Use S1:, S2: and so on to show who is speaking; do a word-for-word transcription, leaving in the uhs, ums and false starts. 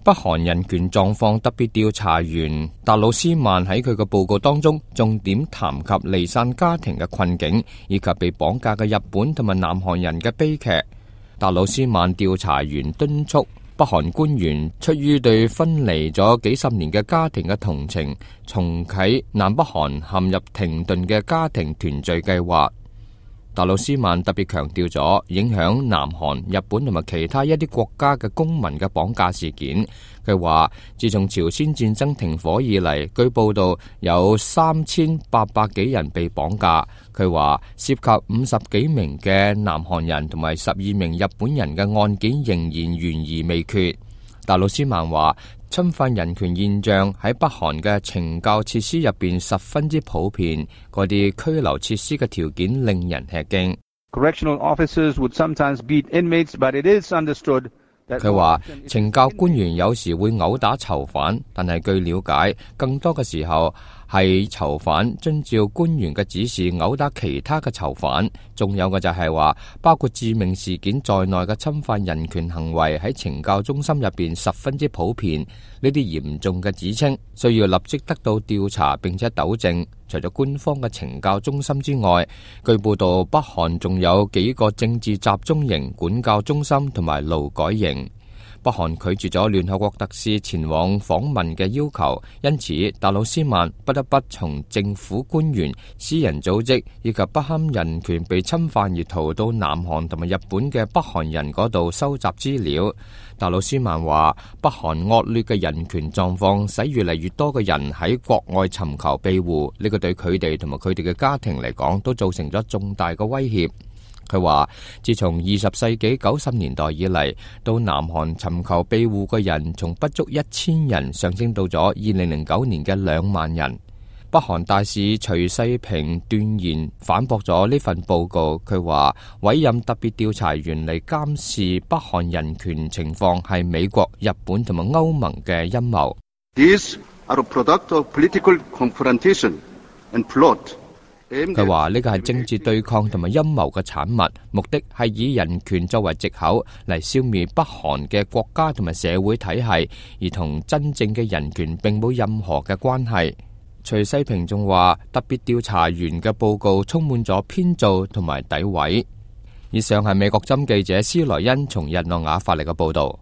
S1: 北韓人權狀況特別調查員達魯斯曼喺佢嘅報告當中，重點談及離散家庭嘅困境，以及被綁架嘅日本同埋南韓人嘅悲劇。達魯斯曼調查員敦促北韓官員出於對分離咗幾十年嘅家庭嘅同情，重啟南北韓陷入停頓嘅家庭團聚計劃。達魯斯曼特別強調咗影響南韓、日本同埋其他一啲國家嘅公民嘅綁架事件。佢話，自從朝鮮戰爭停火以嚟，據報道有三千八百幾人被綁架。佢話涉及五十幾名嘅南韓人同埋十二名日本人嘅案件仍然懸疑未決。達魯斯曼話，侵犯人權現象喺北韓嘅懲教設施入邊十分之普遍，嗰啲拘留設施嘅條件令人吃驚。
S2: Correctional officers would sometimes beat inmates, but it is understood that
S1: 佢話，懲教官員有時會毆打囚犯，但係據了解，更多嘅時候係囚犯遵照官員嘅指示毆打其他嘅囚犯。仲有嘅就係話，包括致命事件在內嘅侵犯人權行為喺懲教中心入邊十分之普遍。呢啲嚴重嘅指稱需要立即得到調查並且糾正。除咗官方嘅懲教中心之外，據報道北韓仲有幾個政治集中營、管教中心同埋勞改營。北韓拒絕咗聯合國特使前往訪問嘅要求，因此達魯斯曼不得不從政府官員、私人組織以及不堪人權被侵犯而逃到南韓同埋日本嘅北韓人嗰度收集資料。達魯斯曼話，北韓惡劣嘅人權狀況使越嚟越多嘅人喺國外尋求庇護，呢個對佢哋同埋佢哋嘅家庭嚟講都造成咗重大嘅威脅。佢話，自從二十世紀九十年代以嚟，到南韓尋求庇護嘅人從不足一千人上升到咗二零零九年嘅兩萬人。北韓大使徐世平斷言反駁咗呢份報告。佢話，委任特別調查員嚟監視北韓人權情況係美國、日本同埋歐盟嘅陰謀。
S2: These are a product of political confrontation and plot。
S1: 佢話呢個係政治對抗同埋陰謀嘅產物，目的係以人權作為藉口嚟消滅北韓嘅國家同埋社會體系，而同真正嘅人權並冇任何嘅關係。徐世平仲話，特別調查員嘅報告充滿咗編造同埋詆毀。以上係美國針記者斯萊恩從日內瓦發嚟嘅報道。